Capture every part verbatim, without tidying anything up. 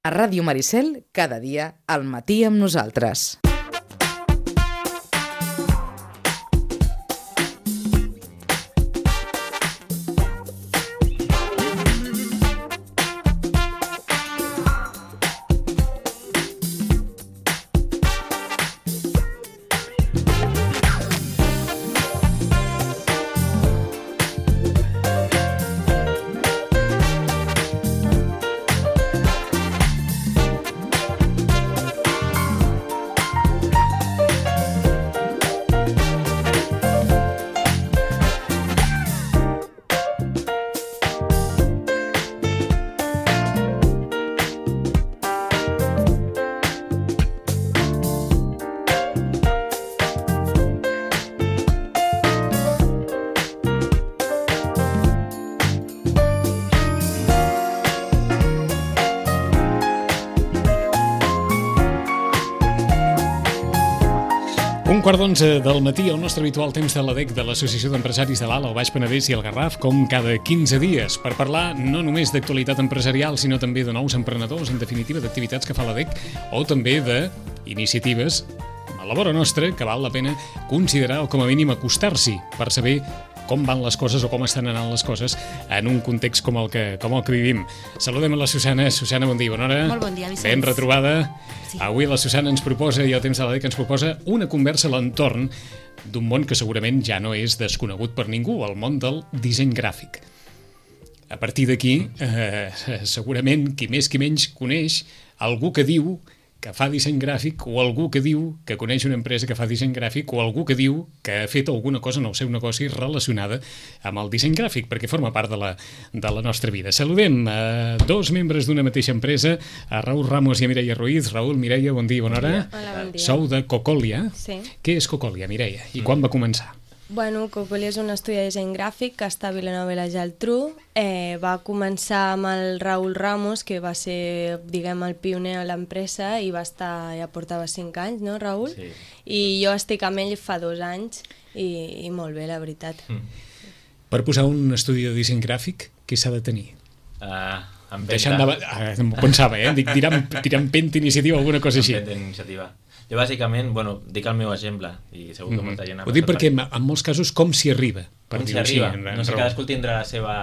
A Ràdio Maricel, cada dia, al matí amb nosaltres. Un quart d'onze del matí, el nostre habitual temps de l'A D E C de l'Associació d'Empresaris de l'Alt, el Baix Penedès i el Garraf, com cada quinze dies, per parlar no només d'actualitat empresarial, sinó també de nous emprenedors, en definitiva, d'activitats que fa l'A D E C, o també d'iniciatives a la vora nostra que val la pena considerar o com a mínim acostar-s'hi per saber com van les coses o com estan anant les coses en un context com el que, com el que vivim. Saludem a la Susana. Susana, bon dia, bona hora. Molt bon dia, Vicenç. Ben retrobada. Sí. Avui la Susana ens proposa, i el temps de l'A D E C ens proposa, una conversa a l'entorn d'un món que segurament ja no és desconegut per ningú, el món del disseny gràfic. A partir d'aquí, eh, segurament, qui més qui menys coneix algú que diu que fa disseny gràfic, o algú que diu que coneix una empresa que fa disseny gràfic, o algú que diu que ha fet alguna cosa en el seu negoci relacionada amb el disseny gràfic, perquè forma part de la, de la nostra vida. Saludem a dos membres d'una mateixa empresa, a Raül Ramos i a Mireia Ruiz. Raül, Mireia, bon dia, bona hora. Hola, bon dia. Sou de Cocòlia. Sí. Què és Cocòlia, Mireia? I quan va començar? Bueno, Cocòlia és un estudi de disseny gràfic que està a Vilanova i la Geltrú. Eh, va començar amb el Raül Ramos, que va ser, diguem, el pioner a l'empresa i va estar, ja portava cinc anys, no, Raül? Sí. I jo estic amb ell fa dos anys i, i molt bé, la veritat. Mm. Per posar un estudi de disseny gràfic, què s'ha de tenir? Uh, Deixant de... Ah, pensava, eh? Dic, tirar, tirar empenta iniciativa o alguna cosa així. Empenta iniciativa. Jo bàsicament, bueno, dic el meu exemple i segur que molta gent... Ho dic perquè en, en molts casos com s'hi arriba, per com s'hi dir-ho així. arriba, no sé, cadascú tindrà la seva,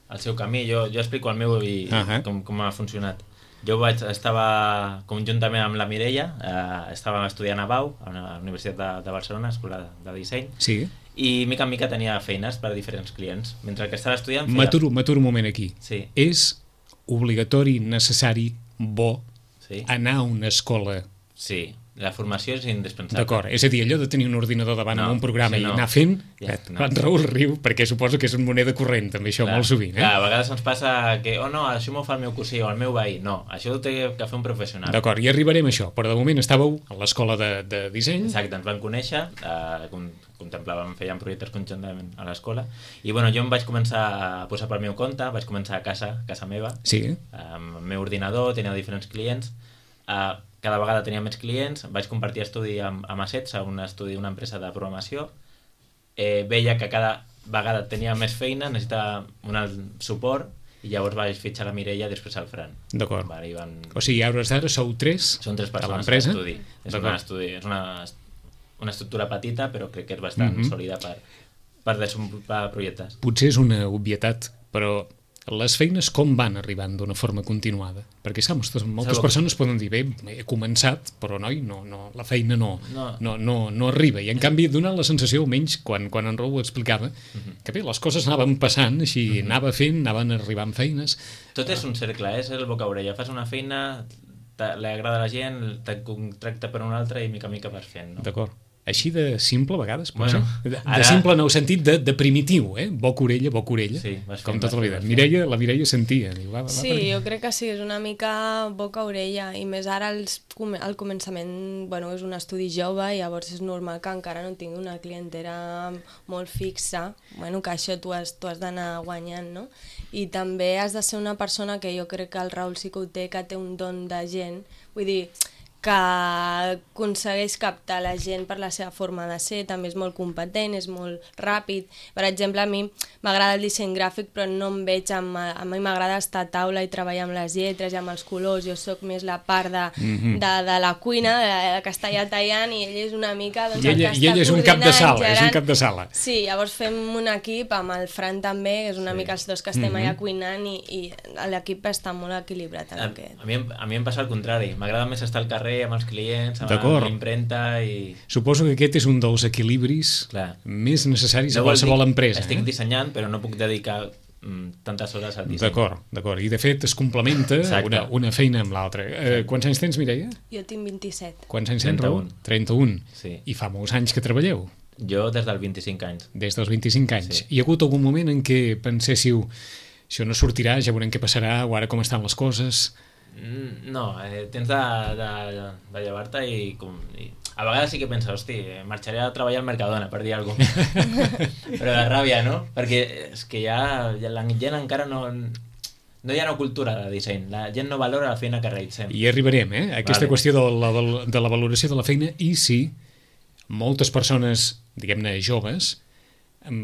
el seu camí. Jo, jo explico el meu i uh -huh. com, com ha funcionat. Jo vaig, estava conjuntament amb la Mireia, eh, estàvem estudiant a Bau, a la Universitat de, de Barcelona, Escola de Disseny, sí. i mica en mica tenia feines per a diferents clients. Mentre que estava estudiant... Feia... M'aturo, m'aturo un moment aquí. Sí. És obligatori, necessari, bo, sí. anar a una escola? Sí. La formació és indispensable. D'acord, és a dir, allò de tenir un ordinador davant no, amb un programa sí, no. i anar fent, ja, no. En Raül riu, perquè suposo que és una moneda corrent, també això, clar, molt sovint. Eh? Clar, a vegades ens passa que, oh no, això m'ho fa el meu cosí o el meu veí. No, això ho té que fer un professional. D'acord, i arribarem a això, però de moment estàveu a l'escola de, de disseny. Exacte, ens van conèixer, eh, contemplàvem, fèiem projectes conjuntament a l'escola, i bueno, jo em vaig començar a posar pel meu compte, vaig començar a casa, a casa meva, sí. amb el meu ordinador, tenia diferents clients, eh, cada vegada tenia més clients, vaig compartir estudi amb, amb Assets, un estudi d'una empresa de programació, eh, veia que cada vegada tenia més feina, necessitava un suport, i llavors vaig fitxar la Mireia i després el Fran. D'acord. Vale, van... O sigui, a hores d'ara sou tres Són tres persones a l'empresa? d'estudi. És, una, estudi, és una, una estructura petita, però crec que és bastant mm-hmm. sòlida per, per desenvolupar projectes. Potser és una obvietat, però les feines com van arribant d'una forma continuada? Perquè, saps, moltes, moltes Segur. persones poden dir, bé, he començat, però noi, no, no, la feina no, no. No, no, no arriba. I en canvi, donant la sensació, almenys, quan, quan en Raül ho explicava, uh-huh. que bé, les coses anaven passant, així, uh-huh. anava fent, anaven arribant feines. Tot és un cercle, és el boca-orella. Fas una feina, li agrada a la gent, te contracta per una altra i mica a mica vas fent, no? D'acord. Així de simple, a vegades, bueno, de, de ara... simple en el sentit de, de primitiu, eh? Boca-orella, boca-orella, sí, com tota la vida. Mireia, la Mireia sentia. Diu, va, va, sí, va, jo crec que sí, és una mica boca-orella, i més ara els, al començament, bueno, és un estudi jove, i llavors és normal que encara no tingui una clientela molt fixa, bueno, que això tu has, tu has d'anar guanyant, no? I també has de ser una persona que jo crec que el Raül sí que ho té, que té un don de gent, vull dir, que aconsegueix captar la gent per la seva forma de ser, també és molt competent, és molt ràpid. Per exemple, a mi m'agrada el disseny gràfic, però no em veig amb... A mi m'agrada estar a taula i treballar amb les lletres i amb els colors. Jo sóc més la part de, mm-hmm. de, de la cuina, de, de que està allà tallant, i ell és una mica... Doncs, I ell, el que i ell és un cap de sala, és un cap de sala. Sí, llavors fem un equip amb el Fran també, que és una sí. mica els dos que estem mm-hmm. allà cuinant, i, i l'equip està molt equilibrat. En a, aquest. A, mi, a mi em passa el contrari. M'agrada més estar al carrer amb els clients, amb l'impremta i... Suposo que aquest és un dels equilibris Clar. més necessaris no a qualsevol dic, empresa. Estic eh? dissenyant, però no puc dedicar mm, tantes hores al disseny. D'acord, d'acord. I de fet es complementa una, una feina amb l'altra. Eh, quants anys tens, Mireia? Jo tinc vint-i-set. Quants anys tens, Raül? trenta-un. Sí. I fa molts anys que treballeu? Jo des dels vint-i-cinc anys. Des dels vint-i-cinc anys. Sí. Hi ha hagut algun moment en què penséssiu això no sortirà, ja veurem què passarà, o ara com estan les coses... No, eh, tens de, de, de llevar-te i, com, i a vegades sí que penses, hosti, marxaré a treballar al Mercadona, per dir alguna cosa. Però de ràbia, no? Perquè és que ja, ja la gent encara no... No hi ha una cultura de disseny, la gent no valora la feina que realitzem. I arribarem, eh? Aquesta vale. qüestió de la, de la valoració de la feina, i sí, moltes persones, diguem-ne, joves,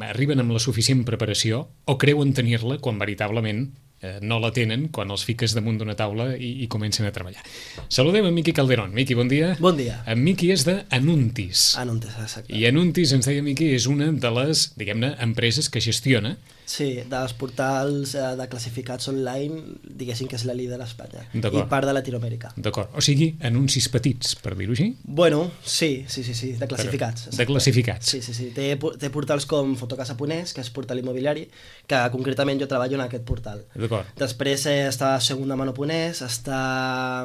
arriben amb la suficient preparació o creuen tenir-la quan veritablement eh, no la tenen, quan els fiques damunt d'una taula i, i comencen a treballar. Saludem en Miqui Calderón. Miqui, bon dia. Bon dia. En Miqui és de Anuntis. Anuntis, exacte. I Anuntis, ens deia Miqui, és una de les, diguem-ne, empreses que gestiona. Sí, dels portals eh, de classificats online, diguéssim que és la líder a Espanya. I part de Latinoamèrica. D'acord. O sigui, anuncis petits, per dir-ho així? Bueno, sí, sí, sí, sí, de classificats. Però, de classificats. Sí, sí, sí. Té, té portals com Fotocasa.es, que és portal immobiliari, que concretament jo treballo en aquest portal. D'acord. Després eh, està segundamano.es, està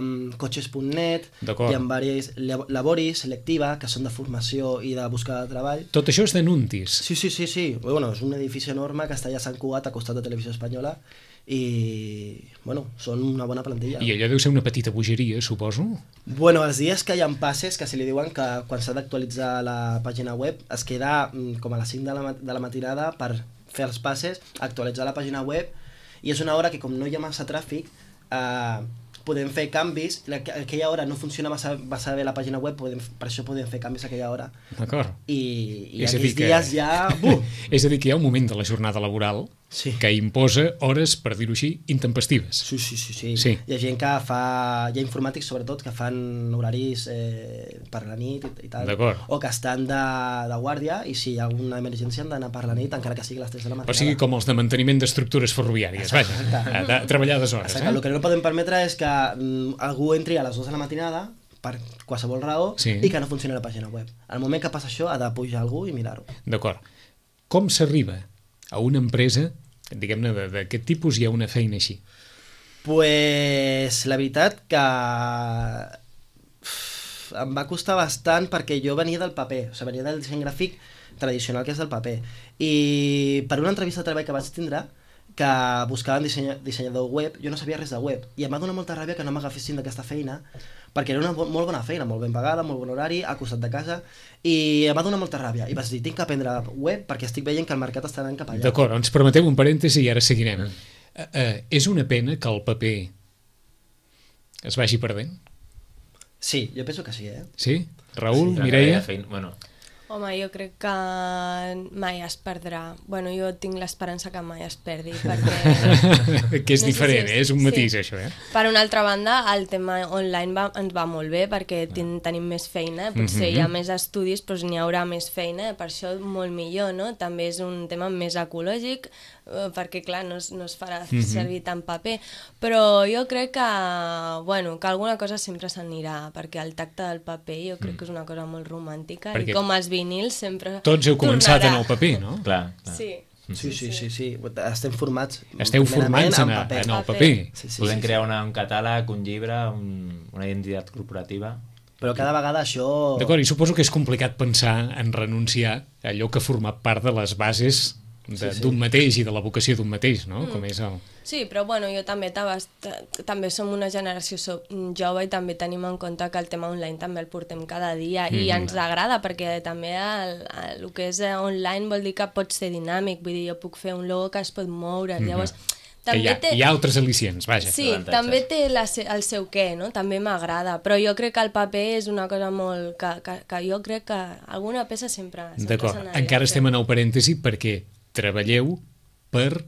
um, cotxes punt net, hi ha diversos laboris, selectiva, que són de formació i de buscar de treball. Tot això és d'Anuntis? Sí, sí, sí, sí. Bueno, és un edifici enorme que està allà a Sant Cugat, a costat de Televisió Espanyola, i, bueno, són una bona plantilla. I allò deu ser una petita bogeria, suposo? Bueno, els dies que hi ha passes, que se li diuen que quan s'ha d'actualitzar la pàgina web, es queda com a les cinc de la, de la matinada per fer els passes, actualitzar la pàgina web, i és una hora que com no hi ha massa tràfic, eh, podem fer canvis, a aquella hora no funciona massa, massa bé la pàgina web, podem, per això podem fer canvis a aquella hora. D'acord. I, i aquells dies ja... Uh! És a dir, que hi ha un moment de la jornada laboral sí. que imposa hores, per dir-ho així, intempestives. Sí, sí, sí, sí, sí. Hi ha gent que fa... Hi ha informàtics, sobretot, que fan horaris eh, per la nit i, i tal. D'acord. O que estan de, de guàrdia i si hi ha alguna emergència han d'anar per la nit, encara que sigui a les tres de la matinada. O sigui, com els de manteniment d'estructures ferroviàries, vaja, de, de treballar des hores. Exacte. Eh? El que no podem permetre és que mm, algú entri a les dues de la matinada per qualsevol raó sí. i que no funcioni la pàgina web. Al moment que passa això ha de pujar algú i mirar-ho. D'acord. Com s'arriba a una empresa, diguem-ne, d'aquest tipus hi ha una feina així? Pues la veritat que em va costar bastant perquè jo venia del paper, o sigui, venia del disseny gràfic tradicional que és del paper, i per una entrevista de treball que vaig tindre que buscaven dissenya, dissenyador web, jo no sabia res de web, i em va donar molta ràbia que no m'agafessin d'aquesta feina, perquè era una bo molt bona feina, molt ben pagada, molt bon horari, al costat de casa, i em va donar molta ràbia, i vaig dir, tinc que aprendre web perquè estic veient que el mercat està anant cap allà. D'acord, ens permeteu un parèntesi i ara seguirem. Mm. Uh, uh, és una pena que el paper es vagi perdent? Sí, jo penso que sí, eh? Sí? Raül, sí, Mireia? Feina, bueno... Home, jo crec que mai es perdrà. Bueno, jo tinc l'esperança que mai es perdi, perquè... que és no diferent, sé si és... eh? És un matís, sí. això, eh? Per una altra banda, el tema online va, ens va molt bé, perquè ten, tenim més feina, potser mm-hmm. hi ha més estudis, però n'hi haurà més feina, per això molt millor, no? També és un tema més ecològic, eh, perquè, clar, no es, no es farà mm-hmm. servir tant paper, però jo crec que, bueno, que alguna cosa sempre s'anirà, perquè el tacte del paper jo crec mm. que és una cosa molt romàntica, perquè... i com els vinils sempre tots heu començat tornarà. En el paper, no? Clar, clar. Sí. Sí, sí, sí, sí. Estem formats Esteu formats en, en, en el paper. Sí, sí, Podem sí, crear sí. una, un catàleg, un llibre, un, una identitat corporativa. Però cada vegada això... D'acord, i suposo que és complicat pensar en renunciar a allò que ha format part de les bases d'un sí, sí. mateix i de la vocació d'un mateix, no? Mm. Com és el... Sí, però bueno, jo també també som una generació jove i també tenim en compte que el tema online també el portem cada dia mm. i ens agrada perquè també el, el, el que és online vol dir que pot ser dinàmic, vull dir, jo puc fer un logo que es pot moure, mm-hmm. llavors Que hi ha, té... hi ha altres al·licients, vaja. Sí, avantatges. també té la, se- el seu què, no? També m'agrada, però jo crec que el paper és una cosa molt... que, que, que jo crec que alguna peça sempre... sempre D'acord, se n'hauria encara de fer. estem en el parèntesi perquè treballeu per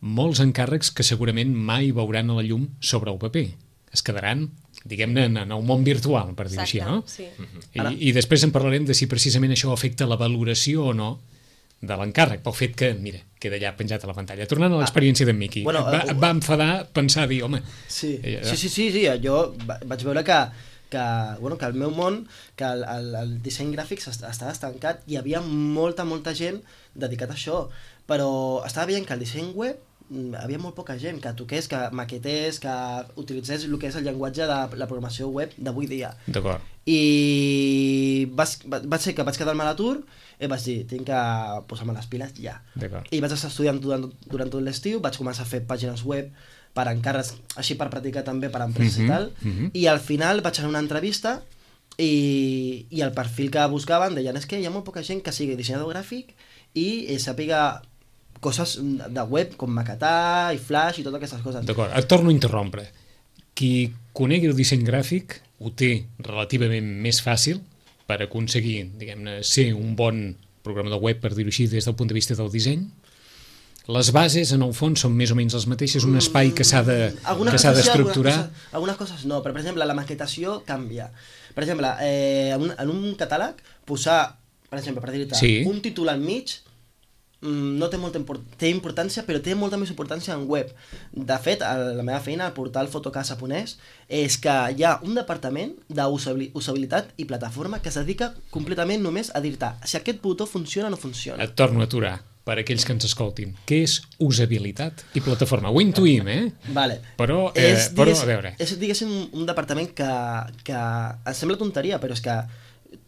molts encàrrecs que segurament mai veuran a la llum sobre el paper. Es quedaran, diguem-ne, en el món virtual, per dir-ho així, no? Sí. I, I després en parlarem de si precisament això afecta la valoració o no de l'encàrrec, pel fet que, mira, queda ja penjat a la pantalla. Tornant a l'experiència d'en Miqui, Bueno, va, eh, et va enfadar pensar, dir, home... Sí, eh, sí, sí, sí, sí. Jo va- vaig veure que, que, bueno, que el meu món, que el, el, el disseny gràfic est- estava estancat, hi havia molta, molta gent dedicat a això, però estava veient que el disseny web mm, havia molt poca gent que toqués, que maquetés, que utilitzés el que és el llenguatge de la programació web d'avui dia. D'acord. I vas, va, vaig ser que vaig quedar-me a l'atur i vaig dir, tinc que posar-me les piles ja. D'acord. I vaig estar estudiant durant, durant tot l'estiu, vaig començar a fer pàgines web per encàrrecs, així per practicar també per empreses Mhm, i tal, mhm. i al final vaig anar a una entrevista i, i el perfil que buscaven deien és que hi ha molt poca gent que sigui dissenyador gràfic i eh, sàpiga coses de web com maquetar i flash i totes aquestes coses. D'acord, et torno a interrompre. Qui conegui el disseny gràfic ho té relativament més fàcil per aconseguir, diguem-ne, ser un bon programador web, per dir-ho així, des del punt de vista del disseny. Les bases, en el fons, són més o menys les mateixes, un espai que s'ha de, Algunes que s'ha coses sí, d'estructurar. algunes coses, algunes coses no, però per exemple la maquetació canvia. Per exemple, eh, en, un, en un catàleg posar, per exemple, per dir-te, Sí. un títol al mig mm, no té molta import té importància, però té molta més importància en web. De fet, a la meva feina, al portal Fotocasa japonès, és que hi ha un departament d'usabilitat i plataforma que es dedica completament només a dir-te si aquest botó funciona o no funciona. Et torno a aturar, per aquells que ens escoltin. Què és usabilitat i plataforma? Ho intuïm, eh? Vale. Però, eh, és, però, digués- a veure... És, diguéssim, un departament que, que em sembla tonteria, però és que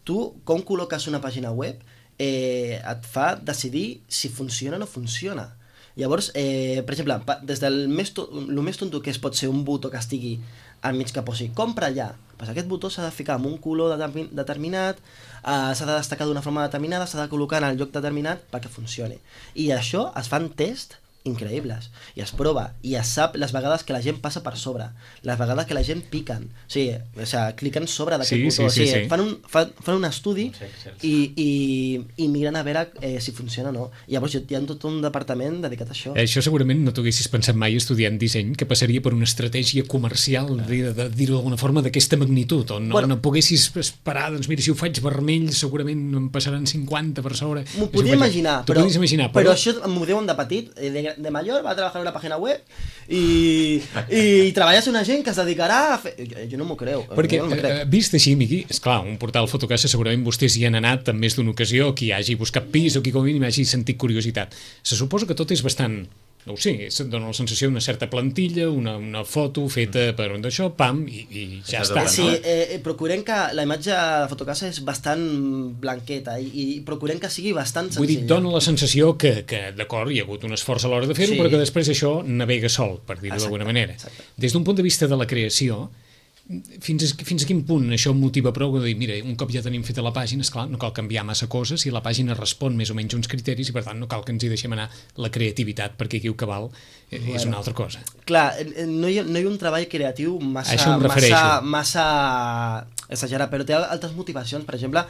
tu, com col·loques una pàgina web, eh, et fa decidir si funciona o no funciona. Llavors, eh, per exemple, pa- des del més, to el més tonto que es pot ser un botó que estigui al mig que posi compra ja, pues aquest botó s'ha de ficar amb un color determin determinat, eh, s'ha de destacar d'una forma determinada, s'ha de col·locar en el lloc determinat perquè funcioni. I això es fan tests increïbles, i es prova, i es sap les vegades que la gent passa per sobre, les vegades que la gent piquen, o sigui, o sigui cliquen sobre d'aquest Sí, botó, sí, sí, o sigui, sí. fan, un, fan, fan un estudi Uns Excels. i, i, i miren a veure eh, si funciona o no. I llavors hi ha tot un departament dedicat a això. Eh, Això segurament no t'ho haguessis pensat mai estudiant disseny, que passaria per una estratègia comercial, de, de dir-ho d'alguna forma, d'aquesta magnitud, on no, Bueno. no poguessis esperar, doncs mira, si ho faig vermell segurament em passaran cinquanta per sobre. M'ho Si ho podia faig- imaginar, T'ho però, podies imaginar, però, però... això m'ho diuen de petit, eh, de, de major va treballar en una pàgina web i, i, i treballes una gent que es dedicarà a fer... Jo, jo no m'ho creu. Perquè, jo no m'ho crec. eh, vist així, Miqui, esclar, un portal Fotocasa segurament vostès hi han anat en més d'una ocasió, qui hagi buscat pis o qui com a mínim hagi sentit curiositat. Se suposa que tot és bastant, no ho sé, et dona la sensació d'una certa plantilla, una, una foto feta per un d'això, pam, i, i ja Això està, és Sí, no? eh, eh, procurem que la imatge de Fotocasa és bastant blanqueta i, i procurem que sigui bastant Vull dir, senzilla. dona la sensació que, que d'acord, hi ha hagut un esforç a l'hora de fer-ho, Sí. però que després això navega sol, per dir-ho Exacte, d'alguna manera. exacte. Des d'un punt de vista de la creació, fins a, fins a quin punt això em motiva prou de dir, mira, un cop ja tenim feta la pàgina, esclar, no cal canviar massa coses i la pàgina respon més o menys uns criteris i per tant no cal que ens hi deixem anar la creativitat, perquè aquí el que val eh, és Bueno. una altra cosa. Clar, eh, no hi, ha, no hi ha un treball creatiu massa, A això em massa, refereixo. massa exagerat, però té altres motivacions, per exemple,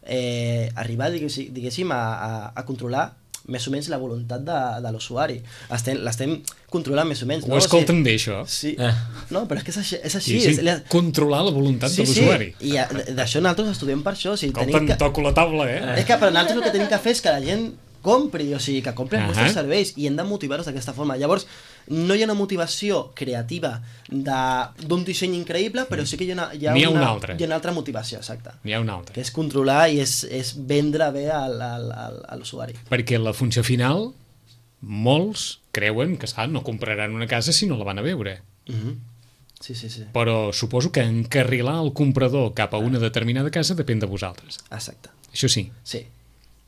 eh, arribar, diguéssim, diguéssim a, a, a controlar més o menys la voluntat de, de l'usuari. Estem- L'estem controlant més o menys. Ho no? escolten bé, això? Sí. Eh. No, però és que és així. És Sí, així sí, és, la- controlar la voluntat sí, de l'usuari. Sí, i a- d'això nosaltres estudiem per això. O sigui, Escolta, tenim que... que... toco la taula, eh? És que per nosaltres el que tenim que fer és que la gent compri, o sigui, que compri els Ahà. vostres serveis i hem de motivar-los d'aquesta forma. Llavors, no hi ha una motivació creativa de- d'un disseny increïble, però sí que hi ha una, hi ha N'hi ha una, una altra. hi ha una altra motivació, exacte. N'hi ha una altra. Que és controlar i és, és vendre bé al, al, al, a l'usuari. Perquè la funció final, molts creuen que, esclar, no compraran una casa si no la van a veure. Mm -hmm. Sí, sí, sí. Però suposo que encarrilar el comprador cap a una determinada casa depèn de vosaltres. Exacte. Això sí. Sí.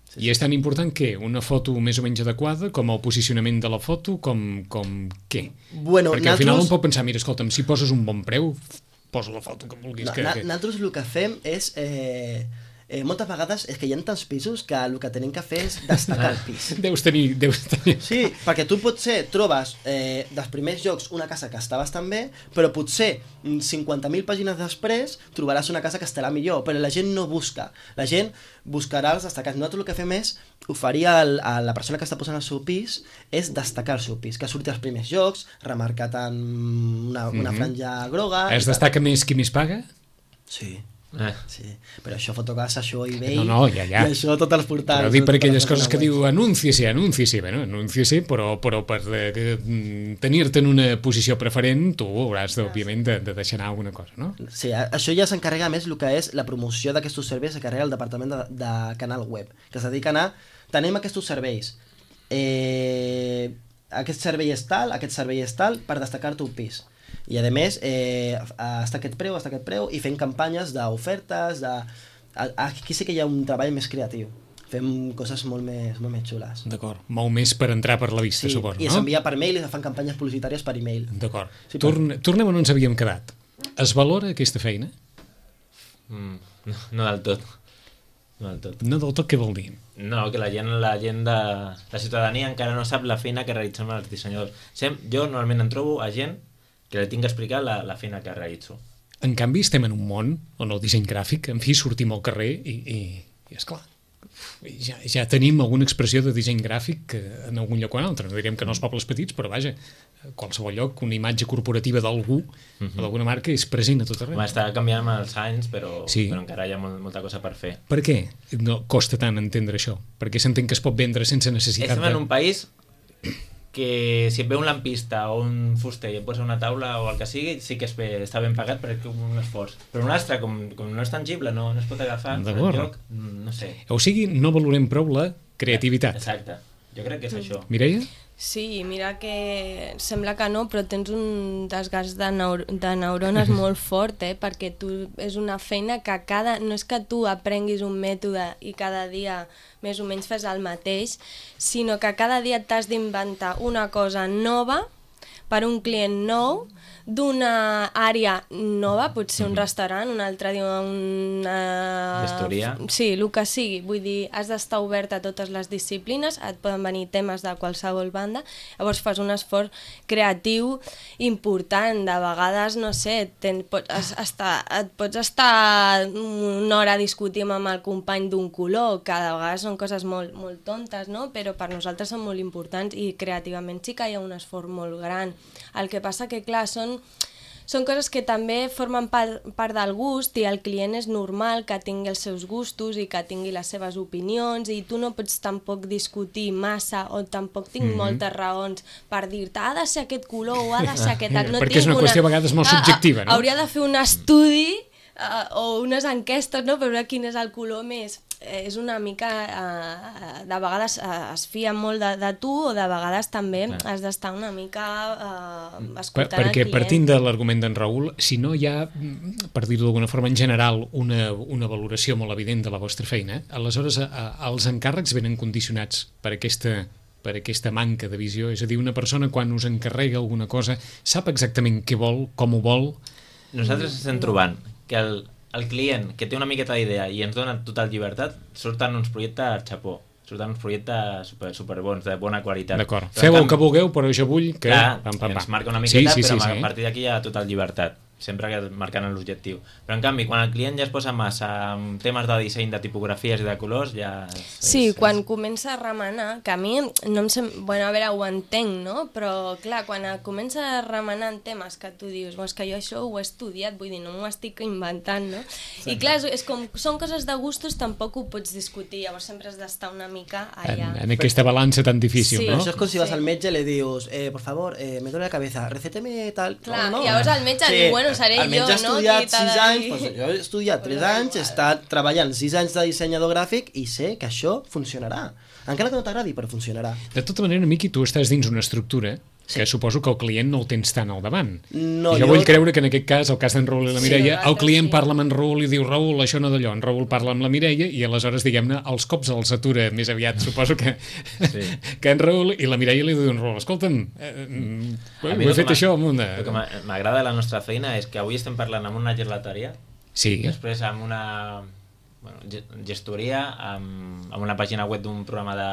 Sí, I és tan important que una foto més o menys adequada, com el posicionament de la foto, com, com què? Bueno, Perquè al final nosaltres- un pot pensar, mira, escolta'm, si poses un bon preu, posa la foto que vulguis. No, que, na, que... nosaltres el que fem és eh, eh, moltes vegades és que hi ha tants pisos que el que tenen que fer és destacar el pis. Deus tenir... Deus tenir... Sí, perquè tu potser trobes eh, dels primers llocs una casa que està bastant bé, però potser cinquanta mil pàgines després trobaràs una casa que estarà millor, però la gent no busca. La gent buscarà els destacats. Nosaltres el que fem és oferir al, a la persona que està posant el seu pis és destacar el seu pis, que surti als primers llocs, remarcat en una, una Mhm. franja groga... Es destaca més qui més paga? Sí. Eh. Sí, però això Fotocasa, això eBay, No, no, ja, ja. i això tots els portals. Però dic per totes aquelles les coses que pàgines diu anúnciese, anúnciese, bueno, anúnciese, però, però per eh, mm, tenir-te en una posició preferent tu hauràs, òbviament, de, de deixar anar alguna cosa, no? web. Sí, a- això ja s'encarrega més el que és la promoció d'aquests serveis, s'encarrega el departament de, de canal web, que es dediquen a... Tenim aquests serveis, eh, aquest servei és tal, aquest servei és tal, per destacar-te un pis. I a més, eh, està aquest preu, està aquest preu, i fent campanyes d'ofertes, de... a- aquí sí que hi ha un treball més creatiu. Fem coses molt més, molt més xules. D'acord. Molt més per entrar per la vista, Sí, suposo, i no? s'envia per mail i es fan campanyes publicitàries per e-mail. D'acord. Sí, Torn Tornem on ens havíem quedat. Es valora aquesta feina? Mm, no, no del tot. No del tot. No del tot, què vol dir? No, que la gent, la gent de la ciutadania encara no sap la feina que realitzem els dissenyadors. Sem, jo normalment em trobo a gent que li tinc que explicar la, la feina que realitzo. En canvi, estem en un món on el disseny gràfic, en fi, sortim al carrer i, i, i esclar, ja, ja tenim alguna expressió de disseny gràfic en algun lloc o en altre. No direm que no els pobles petits, però vaja, a qualsevol lloc, una imatge corporativa d'algú, Mhm. o d'alguna marca, és present a tot arreu. Home, està canviant amb els anys, però, Sí. però encara hi ha molt, molta cosa per fer. Per què no costa tant entendre això? Perquè s'entén que es pot vendre sense necessitat Estem en de... un país que si et ve un lampista o un fuster i et posa una taula o el que sigui, sí que és bé, està ben pagat perquè és un esforç. Però un altre, com, com no és tangible, no, no es pot agafar en D'acord. lloc, mm, no sé. O sigui, no valorem prou la creativitat. Exacte. Jo crec que és això. Mireia? Sí, mira que sembla que no, però tens un desgast de, neur de neurones molt fort, eh? Perquè tu és una feina que cada... No és que tu aprenguis un mètode i cada dia més o menys fes el mateix, sinó que cada dia t'has d'inventar una cosa nova per un client nou, d'una àrea nova, potser un restaurant, un altre dia una... Gestoria. Sí, el que sigui. Vull dir, has d'estar obert a totes les disciplines, et poden venir temes de qualsevol banda, llavors fas un esforç creatiu important. De vegades, no sé, ten, pots estar, et pots estar una hora discutint amb el company d'un color, que de vegades són coses molt, molt tontes, no? Però per nosaltres són molt importants i creativament sí que hi ha un esforç molt gran. El que passa que, clar, són són coses que també formen part, part del gust i el client és normal que tingui els seus gustos i que tingui les seves opinions i tu no pots tampoc discutir massa o tampoc tinc Mhm. moltes raons per dir-te ha de ser aquest color o ha de ser aquest... No Perquè és tinc una qüestió a vegades molt Ah, ah, subjectiva, no? Hauria de fer un estudi uh, o unes enquestes, no?, per veure quin és el color més... Eh, és una mica... Uh, de vegades uh, es fia molt de, de tu o de vegades també Clar. has d'estar una mica uh, Per, escoltant perquè el client. partint de l'argument d'en Raül, si no hi ha, mm, per dir-ho d'alguna forma, en general, una, una valoració molt evident de la vostra feina, aleshores a, a, els encàrrecs venen condicionats per aquesta, per aquesta manca de visió. És a dir, una persona quan us encarrega alguna cosa sap exactament què vol, com ho vol. Nosaltres estem trobant que el, el client que té una miqueta d'idea i ens dona total llibertat, surten uns projectes xapó, surten uns projectes super, super bons, de bona qualitat. D'acord. Però, en Feu el canvi, que vulgueu, però jo vull que... Clar, pam, pam, pam. ens marca una miqueta, sí, sí, però sí, a sí. partir d'aquí hi ha total llibertat, sempre que marcant l'objectiu. Però en canvi, quan el client ja es posa massa amb temes de disseny, de tipografies i de colors, ja... És, Sí, és, quan comença a remenar, que a mi no em sem... Bueno, a veure, ho entenc, no? Però, clar, quan comença a remenar en temes que tu dius, és que jo això ho he estudiat, vull dir, no m'ho estic inventant, no? Exacte. I clar, és, és com, són coses de gustos, tampoc ho pots discutir, llavors sempre has d'estar una mica allà. En, en aquesta balança tan difícil, Sí. no? Això és com si vas Sí. al metge i le dius, eh, por favor, eh, me duele la cabeza, recéteme tal... Clar, no, no. llavors el metge diu, bueno, seré el metge jo, ha no? estudiat Qui t'ha sis de anys, dir? doncs jo he estudiat tres Però da anys, he igual. estat treballant sis anys de dissenyador gràfic i sé que això funcionarà. Encara que no t'agradi, però funcionarà. De tota manera, Miqui, tu estàs dins una estructura que suposo que el client no el tens tant al davant. No, jo, jo- vull creure que en aquest cas, el cas d'en Raül i la Sí, Mireia, el nosaltres client sí. parla amb en Raül i diu Raül, això no d'allò, en Raül parla amb la Mireia i aleshores, diguem-ne, els cops els atura més aviat, suposo que, Sí. que en Raül i la Mireia li diu en Raül, escolta'm, eh, mm, A ho mi he el que fet m'a- això amb una... El que m'a- m'agrada de la nostra feina és que avui estem parlant amb una gelateria Sí, i després amb una, bueno, gestoria amb, amb una pàgina web d'un programa de,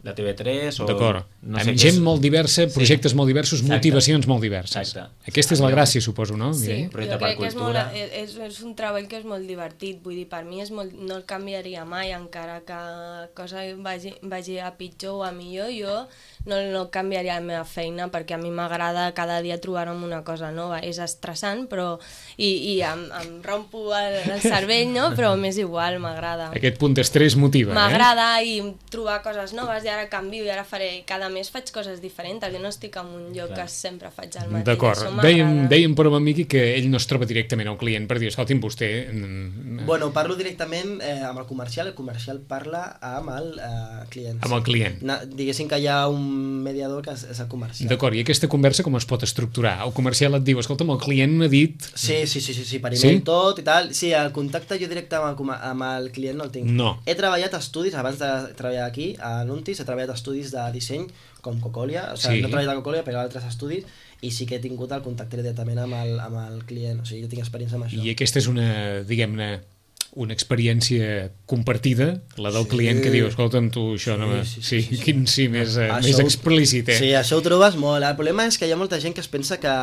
de T V tres o... D'acord, no amb sé gent és... molt diversa, projectes sí. molt diversos, Exacte. motivacions molt diverses. Exacte. Aquesta és la gràcia, suposo, no? Sí, Mireia? jo Projecte crec per que és, molt, cultura. és, és un treball que és molt divertit, vull dir, per mi és molt, no el canviaria mai, encara que cosa vagi, vagi a pitjor o a millor, jo no, no canviaria la meva feina, perquè a mi m'agrada cada dia trobar-me una cosa nova, és estressant, però i, i em, em rompo el, el cervell, no? Però m'és igual, m'agrada. Aquest punt d'estrès motiva, eh? M'agrada i trobar coses noves, i ara canvio, i ara faré, cada mes faig coses diferents, jo no estic en un lloc Clar. que sempre faig el mateix. D'acord, això dèiem, m'agrada. dèiem per un amic que ell no es troba directament al client per dir, escolti'm, vostè... mm, Bueno, parlo directament eh, amb el comercial, el comercial parla amb el eh, client. Amb el client. Na, diguéssim que hi ha un mediador que és, és el comercial. D'acord, i aquesta conversa com es pot estructurar? El comercial et diu, escolta'm, el client m'ha dit... Sí, sí, sí, sí, sí, per Sí? email tot i tal. Sí, el contacte jo directe amb el, com- amb el client no el tinc. No. He treballat a estudis, abans de treballar aquí, a Nuntis, he treballat a estudis de disseny com Cocolia, o sigui, Sí. no he treballat a Cocolia, però a altres estudis, i sí que he tingut el contacte directament amb el, amb el client, o sigui, jo tinc experiència amb això. I aquesta és una, diguem-ne, una experiència compartida, la del Sí. client que diu, escolta'm, tu això no... Sí, sí, Sí, sí, sí, sí. quin sí més, eh, Això més ho- explícit, eh? Sí, això ho trobes molt. El problema és que hi ha molta gent que es pensa que,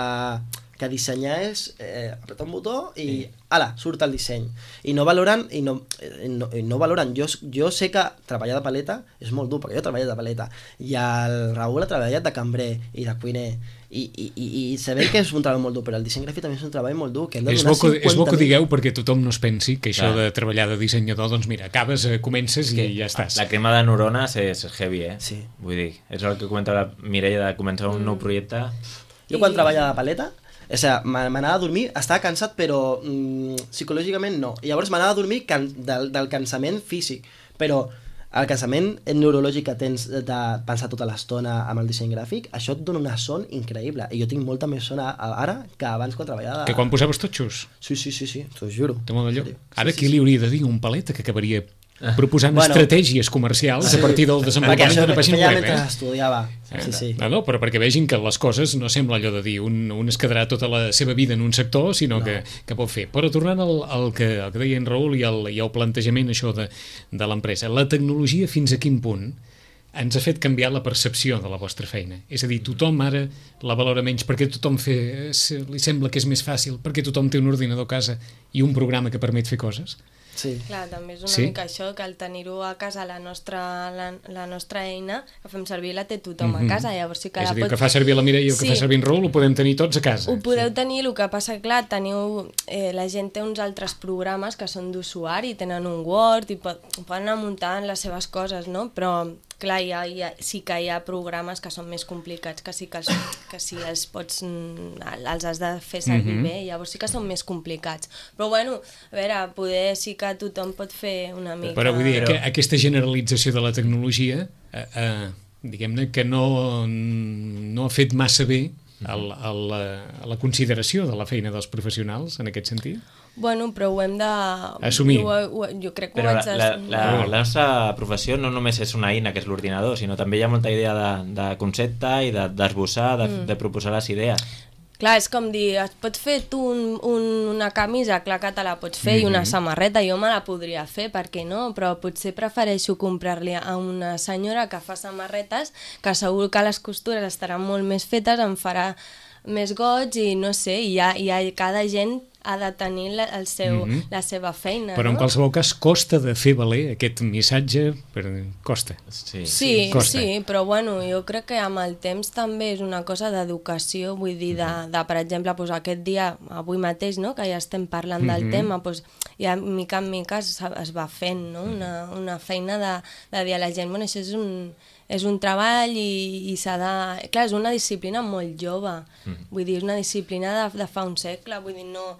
que dissenyar és eh, apretar un botó i sí. ala, surt el disseny. I no valoren, i no, i no, i no valoren. Jo, jo sé que treballar de paleta és molt dur, perquè jo he treballat de paleta. I el Raül ha treballat de cambrer i de cuiner. I, i, i, i sabem que és un treball molt dur, però el disseny gràfic també és un treball molt dur, que hem de És donar bo, que, és bo que ho cinquanta mil. digueu perquè tothom no es pensi que això Clar. de treballar de dissenyador, doncs mira, acabes, eh, comences i ja estàs. La crema de neurones és heavy, eh? Sí. Vull dir, és el que comentava la Mireia de començar un nou projecte. Jo quan treballava de paleta, o sigui, m'anava a dormir, estava cansat, però mm, psicològicament no. I llavors m'anava a dormir can del, del cansament físic, però el cansament neurològic que tens de pensar tota l'estona amb el disseny gràfic, això et dona una son increïble. I jo tinc molta més son a- a- ara que abans quan treballava... Que quan posaves totxos, Sí, sí, sí, sí, t'ho juro. té molt d'allò. En sèrio. Ara Sí, qui sí, li hauria de dir un paleta que acabaria proposant Bueno, estratègies comercials sí. a partir del Perquè desenvolupament això d'una pàgina feia web, mentre eh? estudiava. Sí, sí. No, no, però perquè vegin que les coses no sembla allò de dir un, un es quedarà tota la seva vida en un sector, sinó no. que, que pot fer. Però tornant al, al, que, al que deia en Raül i al, i al plantejament això de, de l'empresa, la tecnologia fins a quin punt ens ha fet canviar la percepció de la vostra feina? És a dir, tothom ara la valora menys perquè tothom fe, li sembla que és més fàcil, perquè tothom té un ordinador a casa i un programa que permet fer coses? Sí. Clar, també és una Sí? sí? mica això, que al tenir-ho a casa, la nostra, la, la nostra eina, que fem servir, la té tothom Mhm. a casa, llavors sí que És la a dir, el pot... que fa servir la Mireia i el que Sí. fa servir en Raül ho podem tenir tots a casa. Ho podeu tenir, el que passa, clar, teniu, eh, la gent té uns altres programes que són d'usuari, tenen un Word i pot, poden anar muntant les seves coses, no? Però, clar, hi ha, hi ha, sí que hi ha programes que són més complicats, que sí que, els, que sí els pots, mm, els has de fer servir Mhm. bé, llavors sí que són més complicats. Però, bueno, a veure, poder sí que tothom pot fer una mica... Però vull dir Però- que aquesta generalització de la tecnologia, eh, eh, diguem-ne que no, no ha fet massa bé el, el, la, la consideració de la feina dels professionals, en aquest sentit? Bueno, però ho hem de... Assumir. Ho, ho, jo crec que Però ho la, haig de... la, la, la nostra professió no només és una eina, que és l'ordinador, sinó també hi ha molta idea de, de concepte i de- d'esbossar, de, de, de proposar les idees. Clar, és com dir, et pots fer tu un, un, una camisa, clar que te la pots fer, mm -hmm. i una samarreta, jo me la podria fer, per què no? Però potser prefereixo comprar-li a una senyora que fa samarretes, que segur que les costures estaran molt més fetes, em farà més goig i no sé, i ha, i ha, cada gent ha de tenir la, el seu, Mhm. la seva feina, Però no? en qualsevol cas costa de fer valer aquest missatge, però costa. Sí. Sí, Costa. sí, però bueno, jo crec que amb el temps també és una cosa d'educació, vull dir, de, de per exemple, doncs aquest dia, avui mateix, no?, que ja estem parlant del Mhm. tema, doncs ja mica en mica es, es va fent, no?, una, una feina de, de dir a la gent, bueno, això és un, és un treball i, i s'ha de... Clar, és una disciplina molt jove, vull dir, és una disciplina de, de fa un segle, vull dir, no,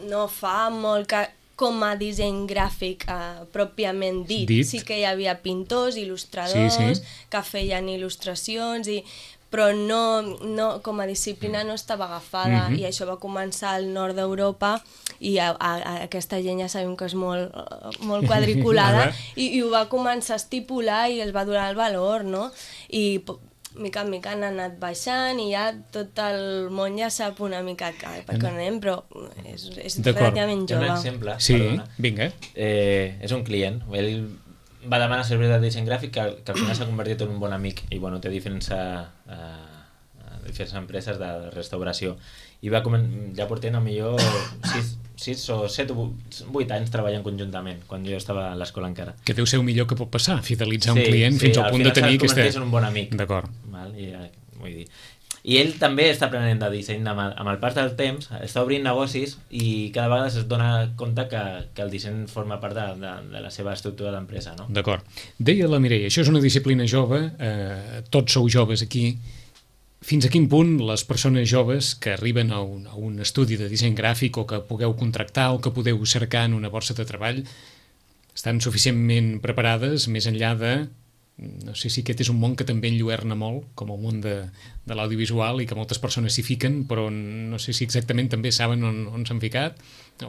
no fa molt que com a disseny gràfic eh, pròpiament dit. Dit. Sí que hi havia pintors, il·lustradors, Sí, sí. que feien il·lustracions, i, però no, no, com a disciplina no estava agafada, Mhm. i això va començar al nord d'Europa, i a, a, a aquesta gent ja sabem que és molt, eh, molt quadriculada, Ara. i, i ho va començar a estipular i els va donar el valor, no? I po- mica en mica han anat baixant i ja tot el món ja sap una mica per què anem, però és, és relativament Hi ha un jove. exemple, Sí, perdona. vinga. Eh, és un client, ell va demanar serveis de disseny gràfic que, que al final s'ha convertit en un bon amic i bueno, té diferents, uh, diferents empreses de restauració i va comen- ja portem millor sis o set o vuit anys treballant conjuntament quan jo estava a l'escola encara. Que deu ser el millor que pot passar, fidelitzar Sí, un client sí, fins al al punt de final tenir se'l converteix aquesta... en un bon amic. D'acord. Val? I, eh, vull dir. I ell també està aprenent de disseny amb el, amb el pas del temps, està obrint negocis i cada vegada es dona compte que, que el disseny forma part de, de, de la seva estructura d'empresa, no? D'acord. Deia la Mireia, això és una disciplina jove, eh, tots sou joves aquí. Fins a quin punt les persones joves que arriben a un, a un estudi de disseny gràfic o que pugueu contractar o que podeu cercar en una borsa de treball estan suficientment preparades més enllà de... No sé si aquest és un món que també enlluerna molt, com el món de, de l'audiovisual i que moltes persones s'hi fiquen, però no sé si exactament també saben on, on s'han ficat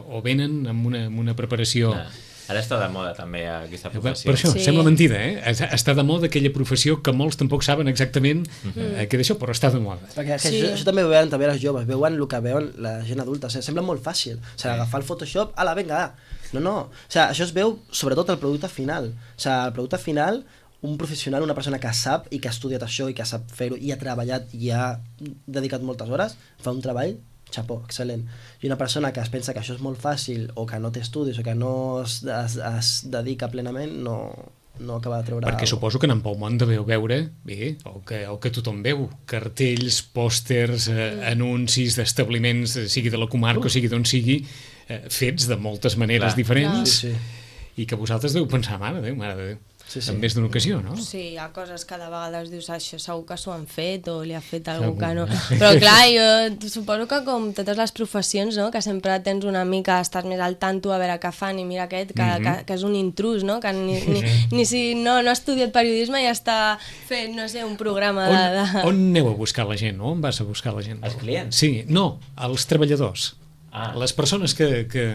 o venen amb una, amb una preparació... Ah, ara està de moda també aquesta professió. Per això, Sí. sembla mentida, eh? Està de moda aquella professió que molts tampoc saben exactament Mm. eh, què d'això, però està de moda. Perquè que Sí. això, això també ho veuen també les joves, veuen el que veuen la gent adulta, o sigui, sembla molt fàcil, o sigui, agafar el Photoshop, ala, vinga, no, no, o sigui, això es veu sobretot al producte final, o sigui, el producte final, un professional, una persona que sap i que ha estudiat això i que sap fer-ho i ha treballat i ha dedicat moltes hores, fa un treball, xapó, excel·lent. I una persona que es pensa que això és molt fàcil o que no té estudis o que no es, es, es dedica plenament, no, no acaba de treure... Perquè suposo que anant pel món deveu veure, bé, el que, el que tothom veu, cartells, pòsters, eh, anuncis d'establiments, eh, sigui de la comarca o sigui d'on sigui, eh, fets de moltes maneres Clar. diferents Sí, sí. i que vosaltres deu pensar, mare de Déu, mare de Déu, Sí, sí. en més d'una ocasió, no? Sí, hi ha coses que de vegades dius això segur que s'ho han fet o li ha fet algú Segur. que no. Però clar, jo suposo que com totes les professions, no? Que sempre tens una mica, estàs més al tanto a veure què fan i mira aquest, que, mm -hmm. que, que és un intrus, no? Que ni, ni, ni si no, no ha estudiat periodisme i ja està fent, no sé, un programa On, de... de... on aneu a buscar la gent? On vas a buscar la gent? Els clients? Sí, no, els treballadors. Ah. Les persones que... que...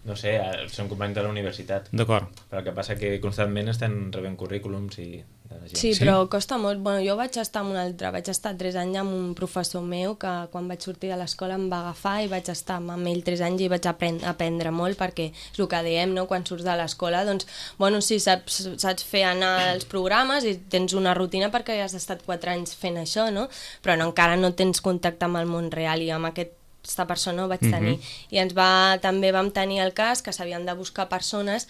No sé, eh, són companys de la universitat. D'acord. Però el que passa que constantment estan rebent currículums i de la gent. Sí, Sí? però costa molt. Bueno, jo vaig estar amb un altre, vaig estar tres anys amb un professor meu que quan vaig sortir de l'escola em va agafar i vaig estar amb ell tres anys i vaig aprendre, aprendre molt perquè és el que diem, no? Quan surts de l'escola, doncs, bueno, sí, saps, saps fer anar els programes i tens una rutina perquè ja has estat quatre anys fent això, no? Però no, encara no tens contacte amb el món real i amb aquest aquesta persona ho vaig tenir. I ens va, també vam tenir el cas que s'havien de buscar persones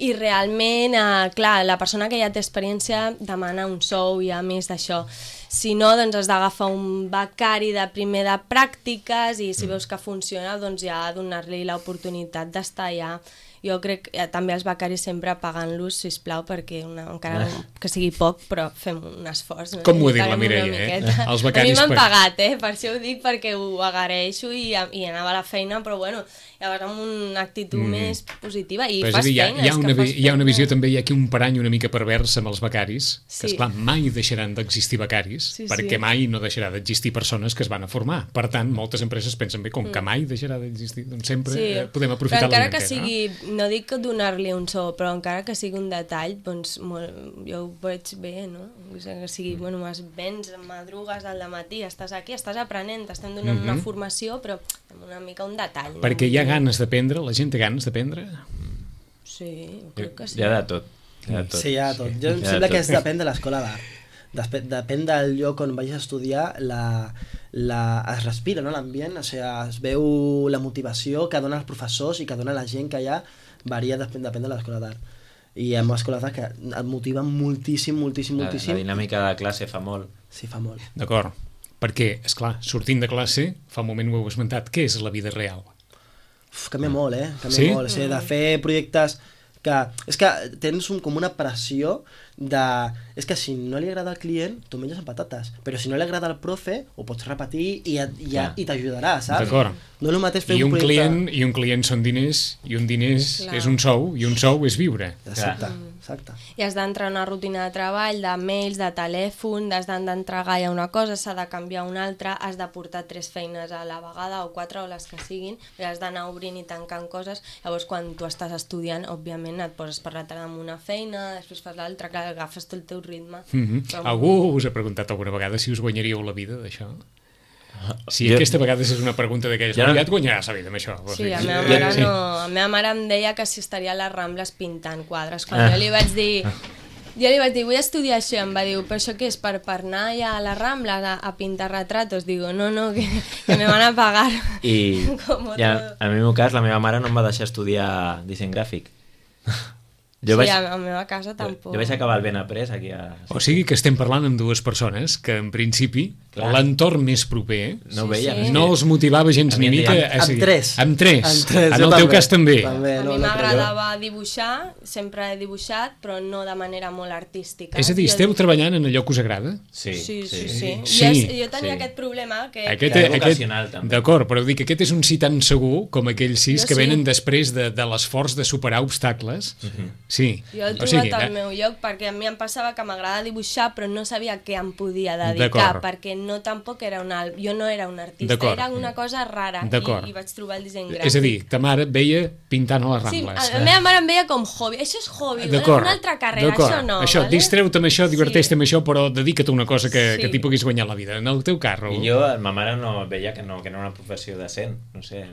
i realment, eh, clar, la persona que ja té experiència demana un sou i a més d'això. Si no, doncs has d'agafar un becari de primer de pràctiques i si veus que funciona, doncs ja donar-li l'oportunitat d'estar allà. Jo crec que també els becaris sempre pagant-los, sisplau, perquè una, encara que sigui poc, però fem un esforç. No? Com ho ha dit la Paguem una Mireia, eh? miqueta. Els becaris A mi m'han per- pagat, eh? Per això ho dic, perquè ho agraeixo i, i anava a la feina, però bueno, llavors amb una actitud mm. més positiva i Però és fas a dir, hi ha, feina. hi, ha és una, que vi- fas hi ha una feina. visió també, hi ha aquí un parany una mica pervers amb els becaris, que Sí. esclar, mai deixaran d'existir becaris, Sí, perquè sí. mai no deixarà d'existir persones que es van a formar. Per tant, moltes empreses pensen bé, com que mai deixarà d'existir, doncs sempre Sí, eh, podem aprofitar però encara la que miqueta, sigui, no dic que donar-li un sou, però encara que sigui un detall, doncs molt, jo ho veig bé, no? O sigui, que sigui, bueno, es vens, madrugues al matí, estàs aquí, estàs aprenent, t'estem donant una formació, però amb una mica un detall. no? Perquè hi ha ganes d'aprendre, la gent té ganes d'aprendre. Sí, crec que sí. Hi ha de tot. Hi ha de tot. Sí, hi ha de tot. Jo em Hi ha de sembla que tot. és, depèn de l'escola d'art. Despe- Depèn del lloc on vagis a estudiar, la, la, es respira, no?, l'ambient, o sigui, es veu la motivació que donen els professors i que dona la gent que hi ha, varia, depèn, depèn de l'escola d'art. I hi ha escoles d'art que et motiven moltíssim, moltíssim, La, la moltíssim. dinàmica de classe fa molt. Sí, fa molt. D'acord. Perquè, és clar, sortint de classe, fa un moment ho heu esmentat, què és la vida real? Uf, canvia molt, eh? Canvia Sí? molt. O sigui, de fer projectes que... És que tens un, com una pressió de... És que si no li agrada al client, tu menges amb patates. Però si no li agrada al profe, ho pots repetir i, et- i, Clar. i t'ajudarà, saps? D'acord. No és el mateix fer I un, projecte... client, I un client són diners, i un diners Clar. és un sou, i un sou és viure. Exacte. Clar. exacte. I has d'entrar en una rutina de treball, de mails, de telèfon, has d'entregar ja una cosa, s'ha de canviar una altra, has de portar tres feines a la vegada o quatre o les que siguin, i has d'anar obrint i tancant coses. Llavors, quan tu estàs estudiant, òbviament et poses per la tarda amb una feina, després fas l'altra, clar, agafes tot el teu ritme. Mm-hmm. Però... Algú us ha preguntat alguna vegada si us guanyaríeu la vida d'això? Si jo... aquesta vegada és una pregunta d'aquelles, ja, no... ja et guanyaràs la vida amb això. Sí, a meva mare, sí. no, a meva mare em deia que si estaria a les Rambles pintant quadres. Quan ah. jo li vaig dir... Jo li vaig dir, vull estudiar això, em va dir, però això què és, per, per anar ja a les Rambles a, a pintar retratos? Digo, no, no, que, que me van a pagar. I ja, en el meu cas, la meva mare no em va deixar estudiar disseny gràfic. Jo sí, vaig... a la meva casa tampoc. Jo vaig acabar el ben après aquí a... O sigui que estem parlant amb dues persones que en principi l'entorn més proper no, sí, sí. no els motivava gens ni mica a... Amb tres. Amb tres. Amb tres. En el teu cas també. també a no, mi no m'agradava no dibuixar, sempre he dibuixat, però no de manera molt artística. És a dir, esteu jo... treballant en allò que us agrada? Sí. Sí, sí, sí. sí. sí. sí. Jo, jo tenia sí. aquest problema que... Aquest, que aquest, vocacional, també. D'acord, però dic que aquest és un sí tan segur com aquells sis jo que sí. venen després de, de l'esforç de superar obstacles. Uh-huh. Sí. Jo he trobat o sigui, al meu lloc, perquè a mi em passava que m'agrada dibuixar, però no sabia què em podia dedicar, perquè no tampoc era una... Jo no era un artista, era una cosa rara, i, i vaig trobar el disseny gràfic. És a dir, ta mare et veia pintant a les Rambles. Sí, la meva mare em veia com hobby, això és hobby, una altra carrera, això no. Això, vale? Distreu-te amb això, diverteix-te sí. amb això, però dedica't a una cosa que, sí. que t'hi puguis guanyar la vida. En el teu cas, Raül. I jo, ma mare no veia que no, que no era una professió decent, no sé,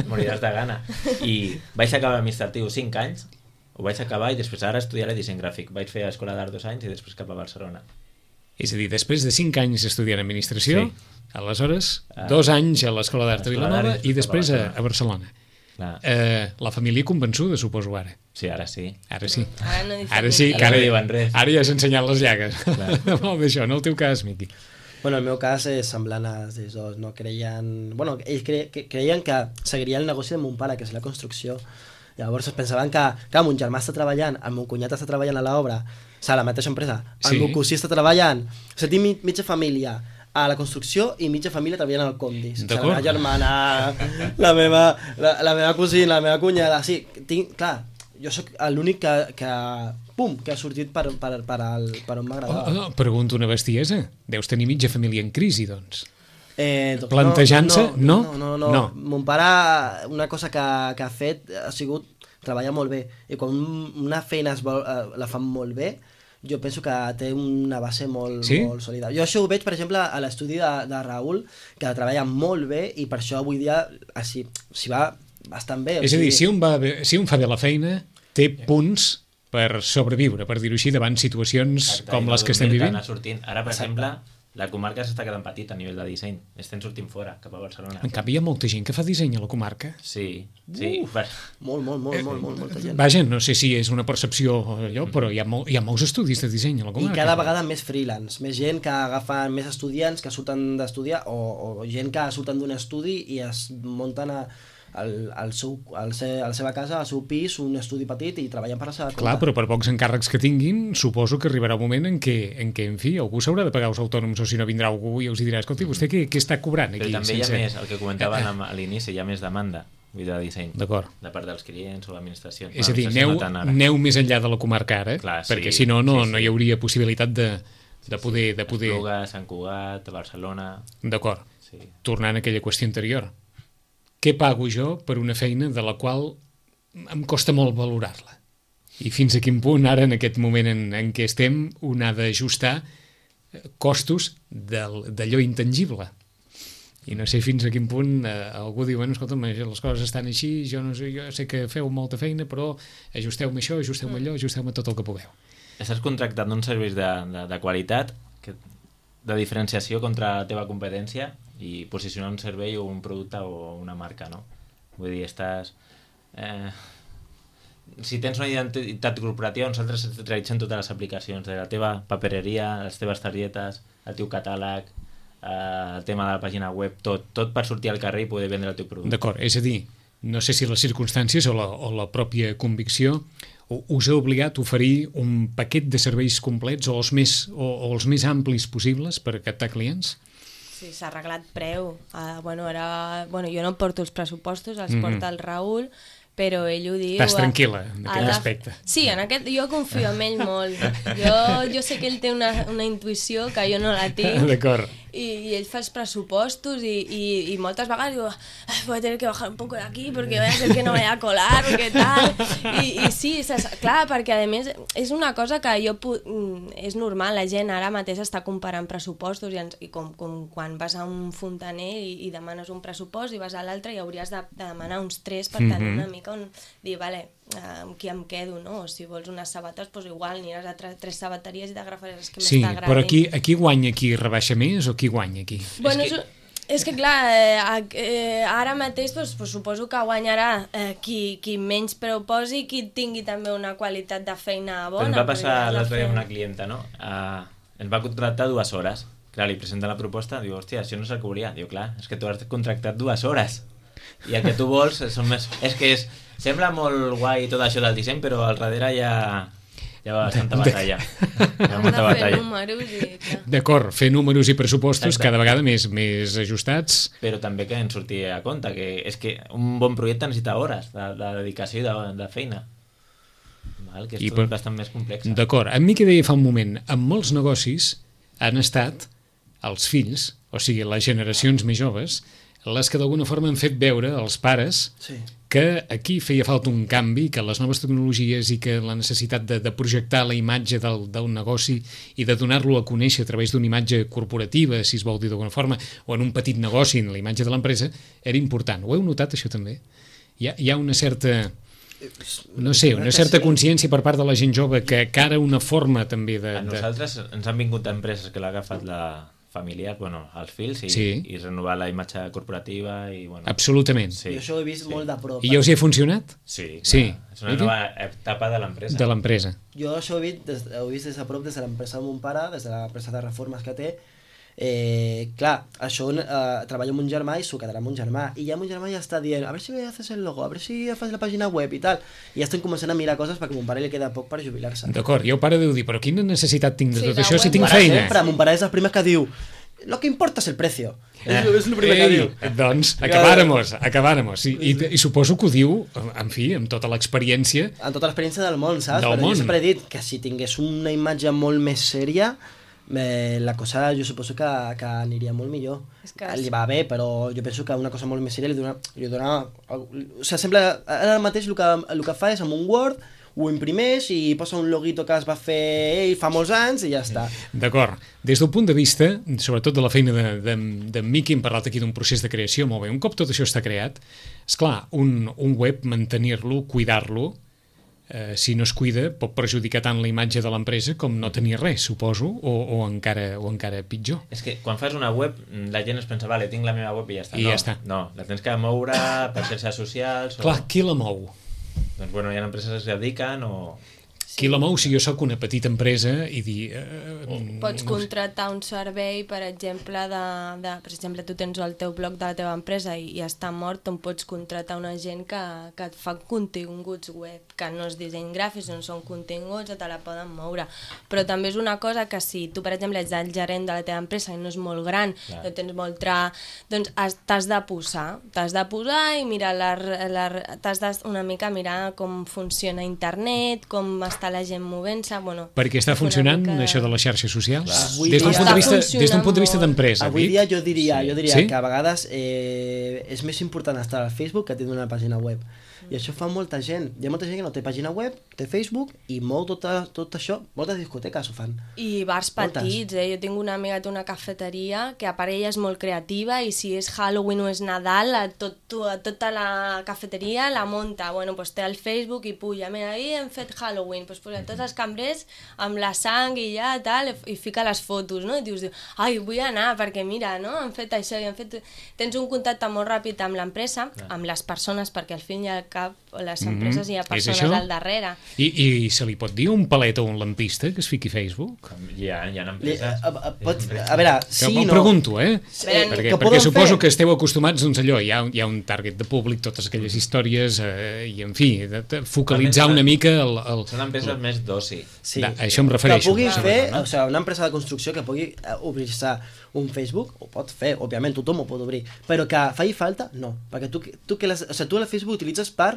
moriràs de gana. I vaig acabar administratiu cinc anys, ho vaig acabar i després ara estudiaré disseny gràfic. Vaig fer a Escola d'Art dos anys i després cap a Barcelona. És a dir, després de cinc anys estudiant administració, sí. aleshores, ah, dos anys a l'Escola d'Art de Vilanova i després a, a Barcelona. Eh, la família convençuda, suposo, ara. Sí, ara sí. Ara sí. Ara no ara sí, que ara, no diuen res. Ara ja has ensenyat les llagues. Molt d'això, en el teu cas, Miqui. Bueno, el meu cas és semblant a ells dos, no? Creien... Bueno, ells cre... creien que seguiria el negoci de mon pare, que és la construcció. Llavors es pensaven que, clar, mon germà està treballant, el meu cunyat està treballant a l'obra, o sigui, a la mateixa empresa, el sí. meu cosí està treballant, o sigui, tinc mitja família a la construcció i mitja família treballant al Condis. O sigui, la meva germana, la meva, la, la meva cosina, la meva cunyada, sí, tinc, clar, jo sóc l'únic que, que, pum, que ha sortit per, per, per, el, per on m'agradava. Oh, oh, pregunto una bestiesa, deus tenir mitja família en crisi, doncs. Eh, doncs Plantejant-se? No no no, no, no, no. Mon pare, una cosa que, que ha fet ha sigut treballar molt bé, i quan una feina es vol, eh, la fan molt bé, jo penso que té una base molt, sí? molt sòlida. Jo això ho veig, per exemple, a l'estudi de, de Raül, que treballa molt bé i per això avui dia s'hi va bastant bé. És a dir, si un, va bé, si un fa bé la feina, té punts per sobreviure, per dir-ho així, davant situacions Exacte, com les que estem vivint. Ara, per Exacte. exemple, la comarca s'està quedant petita a nivell de disseny. Estem sortint fora, cap a Barcelona. En canvi, hi ha molta gent que fa disseny a la comarca. Sí, sí. Uf, molt, molt, molt, molt, molt, molta gent. Vaja, no sé si és una percepció allò, però hi ha, molt, hi ha molts estudis de disseny a la comarca. I cada vegada més freelance, més gent que agafen més estudiants que surten d'estudiar, o, o gent que surten d'un estudi i es munten a... Al, al seu, al se, a la seva casa, al seu pis, un estudi petit i treballant per la seva compte. Clar, però per pocs encàrrecs que tinguin, suposo que arribarà un moment en què, en què en fi, algú s'haurà de pagar els autònoms, o si no vindrà algú i els dirà, escolti, vostè què, què està cobrant aquí? Però també sense... hi ha més, el que comentaven a l'inici, hi ha més demanda de disseny. D'acord. De part dels clients o l'administració. És a dir, aneu, aneu més enllà de la comarca ara, Clar, sí, perquè si no, no, sí, sí. no hi hauria possibilitat de, de poder... De poder... Esplugues, Sant Cugat, Barcelona... D'acord. Sí. Tornant a aquella qüestió anterior. Què pago jo per una feina de la qual em costa molt valorar-la? I fins a quin punt ara, en aquest moment en, en què estem, un ha d'ajustar costos d'allò intangible? I no sé fins a quin punt eh, algú diu, bueno, escolta'm, les coses estan així, jo, no sé, jo sé que feu molta feina, però ajusteu-me això, ajusteu-me allò, ajusteu-me tot el que pugueu. Estàs contractant uns serveis de, de, de qualitat, que, de diferenciació contra la teva competència, i posicionar un servei o un producte o una marca, no? Vull dir, estàs... Eh, si tens una identitat corporativa, nosaltres realitzem totes les aplicacions, de la teva papereria, les teves targetes, el teu catàleg, eh, el tema de la pàgina web, tot, tot per sortir al carrer i poder vendre el teu producte. D'acord, és a dir, no sé si les circumstàncies o la, o la pròpia convicció us ha obligat a oferir un paquet de serveis complets o els més, o, o els més amplis possibles per captar clients? Sí, s'ha arreglat preu. Uh, bueno, ara, bueno, jo no porto els pressupostos, els mm-hmm. porta el Raül, però ell ho diu... Estàs tranquil·la en aquest de... aspecte. Sí, en aquest, jo confio en ell molt. Jo, jo sé que ell té una, una intuïció que jo no la tinc. D'acord. I, i ell fa els pressupostos i, i, i moltes vegades diu voy a tener que bajar un poco de aquí porque voy a hacer que no vaya a colar, perquè tal... I, i sí, clar, perquè a més és una cosa que jo... És normal, la gent ara mateix està comparant pressupostos i, ens, i com, com quan vas a un fontaner i, i demanes un pressupost i vas a l'altre i hauries de, de demanar uns tres per tenir mm-hmm. una mica on dir, vale, amb qui em quedo, no? O si vols unes sabates, doncs igual aniràs a tres, tres sabateries i t'agafaràs les que sí, més t'agradin. Sí, però aquí, aquí guanya qui rebaixa més o qui guanya aquí? Bueno, és, que... és, és que clar, eh, eh, ara mateix doncs, doncs, suposo que guanyarà eh, qui, qui menys preu posi i qui tingui també una qualitat de feina bona. Ens va passar l'altre dia fer... amb una clienta, no? Uh, ens va contractar dues hores. Clar, li presenta la proposta, diu, hòstia, això no se'l cobria. Diu, clar, és que tu has contractat dues hores. I el que tu vols són més... És que és... Sembla molt guai tot això del disseny, però al darrere hi ha, hi ha bastanta batalla. Hi ha molta batalla. I... D'acord, fer números i pressupostos Exacte. cada vegada més, més ajustats. Però també que ens surti a compte, que és que un bon projecte necessita hores de, de dedicació i de, de feina. Val? Que és I tot per... bastant més complex. D'acord, a mi que deia fa un moment, en molts negocis han estat els fills, o sigui, les generacions més joves, les que d'alguna forma han fet veure als pares Sí. que aquí feia falta un canvi, que les noves tecnologies i que la necessitat de, de projectar la imatge del, del negoci i de donar-lo a conèixer a través d'una imatge corporativa, si es vol dir d'alguna forma, o en un petit negoci, en la imatge de l'empresa, era important. Ho heu notat, això també? Hi ha, hi ha una certa... No sé, una certa consciència per part de la gent jove que, que ara una forma també de... A nosaltres ens han vingut empreses que l'ha agafat la familiar, bueno, els fills i, sí. i renovar la imatge corporativa i bueno. Absolutament. Sí. Jo això ho he vist sí. molt de prop. I ja us hi ha funcionat? Sí, sí. Clar, és una nova etapa de l'empresa. De l'empresa. Jo això ho he vist des, ho he vist des de prop, des de l'empresa de mon pare, des de l'empresa de reformes que té. Eh, clar, això eh, treballo amb un germà i s'ho quedarà amb un germà i ja mon germà ja està dient, a veure si haces el logo, a veure si fas la pàgina web i tal, i ja estem començant a mirar coses perquè a mon pare li queda poc per jubilar-se. D'acord, i el pare deu dir, però quina necessitat tinc de Sí, tot de això si web. tinc Mon pare feina? sempre, mon pare és el primer que diu lo que importa és el precio. Eh. És, és el primer que Ei, diu. doncs, acabáramos, acabáramos. I, i, I suposo que ho diu, en fi, amb tota l'experiència. Amb tota l'experiència del món, saps? Del Però món. jo sempre he dit que si tingués una imatge molt més sèria, eh, la cosa jo suposo que, que aniria molt millor. És que... Li va bé, però jo penso que una cosa molt més sèria li dona... Li dona o sigui, sembla... Ara mateix el que, el que fa és amb un Word ho imprimeix i posa un loguito que es va fer ell fa molts anys i ja està. D'acord. Des del punt de vista, sobretot de la feina de, de, de Miqui, hem parlat aquí d'un procés de creació, molt bé. Un cop tot això està creat, esclar, un, un web, mantenir-lo, cuidar-lo, eh, si no es cuida, pot perjudicar tant la imatge de l'empresa com no tenir res, suposo, o, o, encara, o encara pitjor. És que quan fas una web, la gent es pensa, vale, tinc la meva web i ja està. I no, ja està. No, la tens que moure per xarxes socials. O... Clar, qui la mou? Doncs bueno, hi ha empreses que es dediquen o... Qui la mou si jo sóc una petita empresa i dir... Eh, Pots no sé. contractar un servei, per exemple, de, de, per exemple, tu tens el teu blog de la teva empresa i, i està mort, on pots contractar una gent que, que et fa continguts web, que no és disseny gràfic, no són continguts, o te la poden moure. Però també és una cosa que si tu, per exemple, ets el gerent de la teva empresa i no és molt gran, Clar. no tens molt tra... doncs has- t'has de posar, t'has de posar i mirar la, la, t'has de una mica mirar com funciona internet, com està la gent movent-se, bueno... Perquè està una funcionant mica- això de les xarxes socials? Avui Des d'un dia- punt de vista, Està des d'un punt de vista funcionant d'empresa, Avui Vic? dia jo diria, Sí. jo diria Sí? que a vegades eh, és més important estar al Facebook que tenir una pàgina web. I això fa molta gent. Hi ha molta gent que no té pàgina web, té Facebook i mou tot, tot això. Moltes discoteques ho fan. I bars Moltes. petits, eh? Jo tinc una amiga que té una cafeteria que a part ella és molt creativa i si és Halloween o és Nadal, a tot, a tota la cafeteria la munta. Bueno, pues té el Facebook i puja, mira, ahir hem fet Halloween, pues posa tots els cambrers amb la sang i ja, tal, i fica les fotos, no? I dius, ai, vull anar perquè mira, no? Han fet això i han fet... Tens un contacte molt ràpid amb l'empresa, amb les persones, perquè al fin i al cap les empreses hi ha És persones això? al darrere. I, I se li pot dir un palet o un lampista que es fiqui a Facebook? Hi ha, hi ha Li, empreses... a, a, pots, a veure, Sí, sí, Ho no... pregunto, eh? Veure, perquè que perquè poden suposo fer- que esteu acostumats, doncs allò, hi ha, hi ha un target de públic, totes aquelles històries, eh, i en fi, de, de focalitzar També una són- mica el... el... Són empreses més d'oci. Sí. Da, això em refereixo. Que pugui Sí. fer, No? o sigui, una empresa de construcció que pugui eh, obrir-se un Facebook, ho pot fer, òbviament, tothom ho pot obrir, però que faci falta, no. Perquè tu, tu, que les, o sigui, tu el Facebook utilitzes per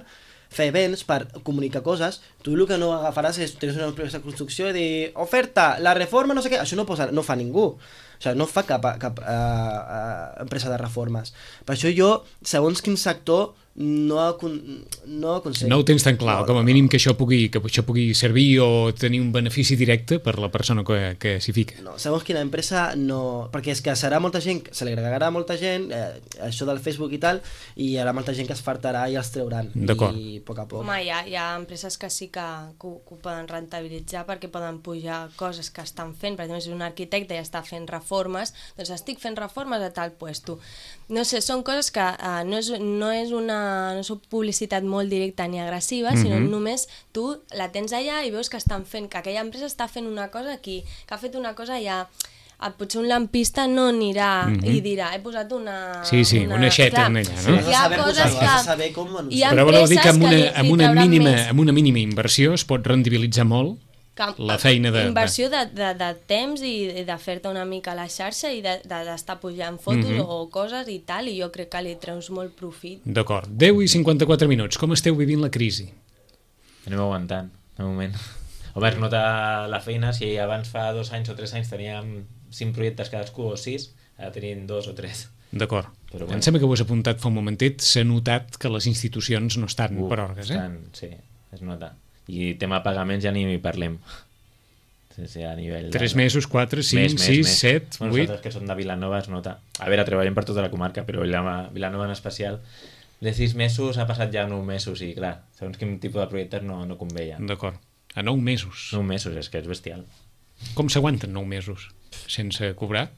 fer events, per comunicar coses, tu el que no agafaràs és tens una empresa de construcció i dir oferta, la reforma, no sé què, això no, posa, no fa ningú. O sigui, no fa cap, cap uh, uh, empresa de reformes. Per això jo, segons quin sector, no, no aconsello. No ho tens tan clar, no, com a no, mínim que això pugui, que això pugui servir o tenir un benefici directe per la persona que, que s'hi fica. No, segons quina empresa no... Perquè és que serà molta gent, se li agregarà molta gent, eh, això del Facebook i tal, i hi haurà molta gent que es fartarà i els trauran. D'acord. I a poc a poc. Home, hi ha, hi ha empreses que sí que, que, ho, que ho poden rentabilitzar perquè poden pujar coses que estan fent. Per exemple, si un arquitecte i està fent reformes, doncs estic fent reformes a tal puesto. No sé, són coses que uh, no, és, no és una no és publicitat molt directa ni agressiva, mm-hmm. sinó només tu la tens allà i veus que estan fent, que aquella empresa està fent una cosa aquí, que ha fet una cosa ja... Potser un lampista no anirà mm-hmm. i dirà, he posat una... Sí, sí, una, una xeta en allà, no? Sí, hi ha saber coses posar-ho, que... has de saber com anunciar. Però voleu dir que amb una, li, amb, li una mínima, més... amb una mínima inversió es pot rendibilitzar molt que, la feina de... Inversió de, de, de temps i de fer-te una mica a la xarxa i d'estar de, de, pujant fotos mm-hmm. o coses i tal, i jo crec que li treus molt profit. D'acord. deu i cinquanta-quatre minuts. Com esteu vivint la crisi? Anem aguantant, de moment. Home, es nota la feina, si abans fa dos anys o tres anys teníem cinc projectes cadascú o sis, ara tenim dos o tres. D'acord. Però Bueno. bueno. Em sembla que ho has apuntat fa un momentet, s'ha notat que les institucions no estan Uh, per orgues, eh? estan, sí, es nota. I tema pagaments ja ni hi parlem. Sí, sí, a nivell... Tres de... mesos, quatre, cinc, sis, set, bueno, vuit... Nosaltres que som de Vilanova es nota. A veure, treballem per tota la comarca, però Vilanova, Vilanova en especial, de sis mesos ha passat ja nou mesos i, clar, segons quin tipus de projectes no, no conveia. D'acord. A nou mesos. Nou mesos, és que és bestial. Com s'aguanten nou mesos? Sense cobrar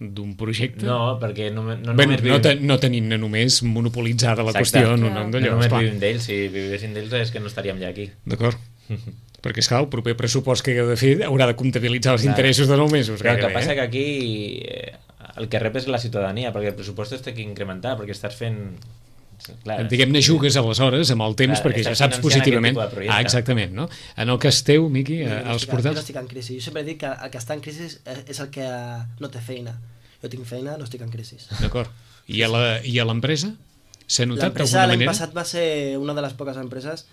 d'un projecte? No, perquè no, no Bé, només no, vivim... te, no tenim només monopolitzada la Exacte. qüestió, no, Clar. no, No d'allò, només esclar. vivim d'ells, si vivéssim d'ells és que no estaríem ja aquí. D'acord. Perquè, esclar, el proper pressupost que hagueu de fer haurà de comptabilitzar els Clar. interessos de nou mesos. Però el que gairebé, passa eh? que aquí eh, el que rep és la ciutadania, perquè el pressupost es té que incrementar, perquè estàs fent... Clar, Diguem-ne, jugues aleshores amb el temps Clar, perquè ja estàs saps financiant positivament... aquest tipus de projecte. Ah, exactament, no? En el cas teu, Miqui, Jo eh, no els estic- jo no portals... estic en crisi. Jo sempre dic que el que està en crisi és, és el que no té feina. Jo tinc feina, no estic en crisi. D'acord. I a la- i a l'empresa? S'ha notat L'empresa d'alguna l'any manera? passat va ser una de les poques empreses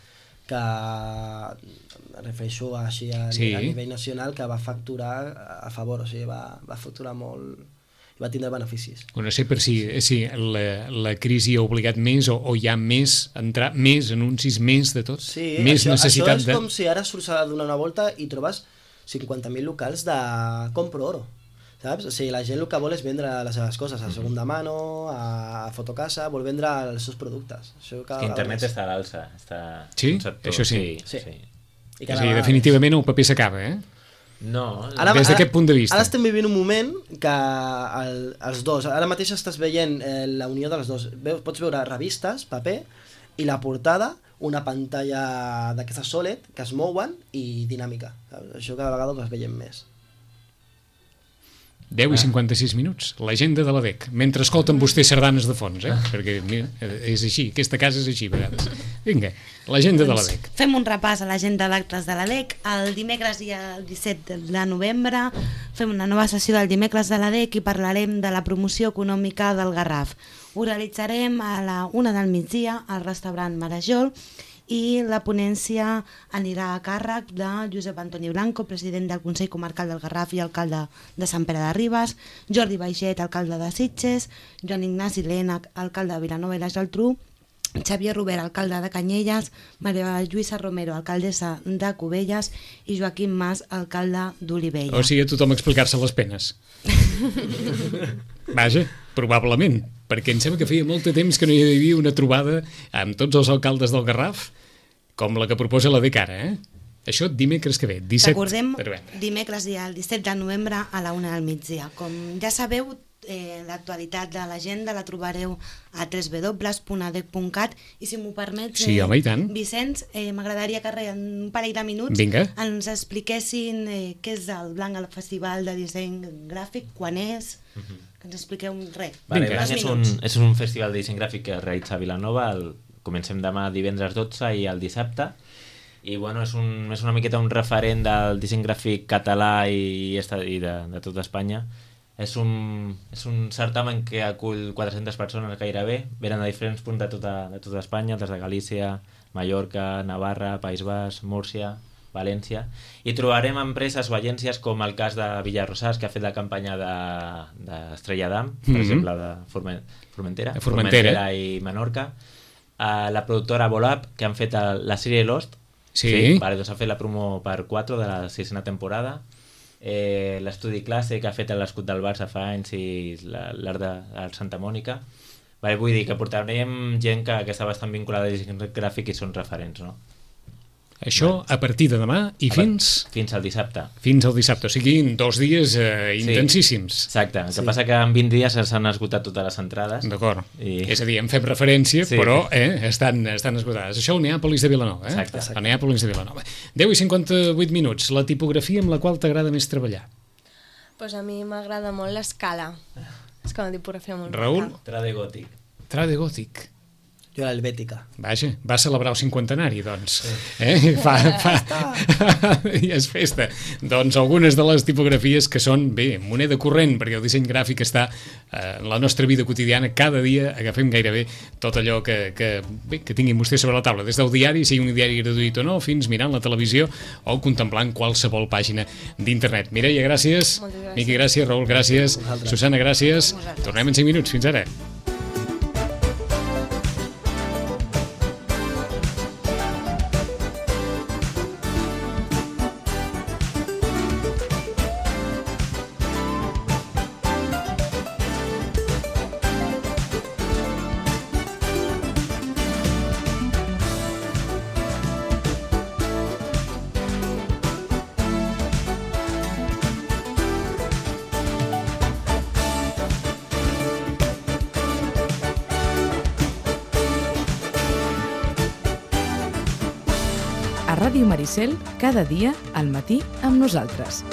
que, em refereixo així a, Sí. a nivell nacional, que va facturar a favor, o sigui, va, va facturar molt i va tindre beneficis. No sé per si, si la, la crisi ha obligat més o, o hi ha més, entrar més anuncis, més de tot, Sí, més això, necessitat això és de... com si ara surts a donar una volta i trobes cinquanta mil locals de compro oro. Saps? O sigui, la gent el que vol és vendre les seves coses a segunda mano, a fotocasa, vol vendre els seus productes. Això cada Que vegada internet més. està a l'alça. Està Sí? un sector- Això sí. Sí. sí. I És cada a dir, vegada definitivament el paper s'acaba, eh? No, Ara- Des d'aquest punt de vista. Ara estem vivint un moment que el, els dos, ara mateix estàs veient eh, la unió dels dos. Veus, pots veure revistes, paper, i la portada, una pantalla d'aquestes S O L E D que es mouen i dinàmica. Saps? Això cada vegada ho es veiem més. deu i cinquanta-sis minuts, l'agenda de la D E C, mentre escolten vostès sardanes de fons, eh? Perquè mira, és així, aquesta casa és així a vegades. Vinga, l'agenda de la D E C. Fem un repàs a l'agenda d'actes de la D E C. El dimecres i el disset de novembre fem una nova sessió del dimecres de la D E C i parlarem de la promoció econòmica del Garraf. Ho realitzarem a la una del migdia al restaurant Marajol i la ponència anirà a càrrec de Josep Antoni Blanco, president del Consell Comarcal del Garraf i alcalde de Sant Pere de Ribes, Jordi Baixet, alcalde de Sitges, Joan Ignasi Lena, alcalde de Vilanova i la Geltrú, Xavier Robert, alcalde de Canyelles, Maria Lluïsa Romero, alcaldessa de Cubelles i Joaquim Mas, alcalde d'Olivella. O sigui, a tothom explicar-se les penes. Vaja, probablement, perquè em sembla que feia molt de temps que no hi havia una trobada amb tots els alcaldes del Garraf com la que proposa la D E C ara, eh? Això dimecres que ve, disset Recordem, de novembre. dimecres i el disset de novembre a la una del migdia. Com ja sabeu, eh, l'actualitat de l'agenda la trobareu a w w w punt a d e c punt cat i si m'ho permets, Sí, home, i tant. Vicenç, eh, m'agradaria que en un parell de minuts Vinga. ens expliquessin eh, què és el Blanc al Festival de Disseny Gràfic, quan és, que ens expliqueu un res. Vale, Vinga. Blanc és un, és un festival de disseny gràfic que es realitza a Vilanova. El, comencem demà divendres dotze i el dissabte. I bueno, és, un, és una miqueta un referent del disseny gràfic català i, i de, de tota Espanya. És un, és un certamen que acull quatre-centes persones gairebé, venen de diferents punts de tota, de tota Espanya, des de Galícia, Mallorca, Navarra, País Basc, Múrcia, València, i trobarem empreses o agències com el cas de Villarrosàs, que ha fet la campanya d'Estrella de, d'Am, per Mm-hmm. exemple, de Formen, Formentera, De Formentera. i Menorca, uh, la productora Volap, que han fet el, la sèrie Lost, Sí. vale, doncs ha fet la promo per quatre de la sisena temporada, eh, l'estudi classe que ha fet l'escut del Barça fa anys i l'art de, de Santa Mònica. Vale, vull dir que portarem gent que, que està bastant vinculada a disseny gràfic i són referents, no? Això a partir de demà i fins... Fins al dissabte. Fins al dissabte, o sigui, dos dies eh, intensíssims. Exacte, el que Sí. passa que en vint dies s'han esgotat totes les entrades. D'acord. I- És a dir, en fem referència, Sí. però eh, estan, estan esgotades. Això al Neàpolis de Vilanova, eh? Exacte. Al Neàpolis de Vilanova. deu i cinquanta-vuit minuts. La tipografia amb la qual t'agrada més treballar. Pues a mi m'agrada molt l'escala. És com una tipografia molt Raül? maca. Trade gòtic. Trade gòtic. Jo l'helvètica. Vaja, va celebrar el cinquantenari, doncs. Eh? Fa, fa... I és festa. Doncs algunes de les tipografies que són, bé, moneda corrent, perquè el disseny gràfic està eh, en la nostra vida quotidiana. Cada dia agafem gairebé tot allò que, que, bé, que tinguin vostès sobre la taula, des del diari, sigui un diari gratuït o no, fins mirant la televisió o contemplant qualsevol pàgina d'internet. Mireia, gràcies. Moltes gràcies. Miqui, gràcies. Raül, gràcies. Vosaltres. Susana, gràcies. Vosaltres. Tornem en cinc minuts. Fins ara. A Ràdio Maricel, cada dia al matí amb nosaltres.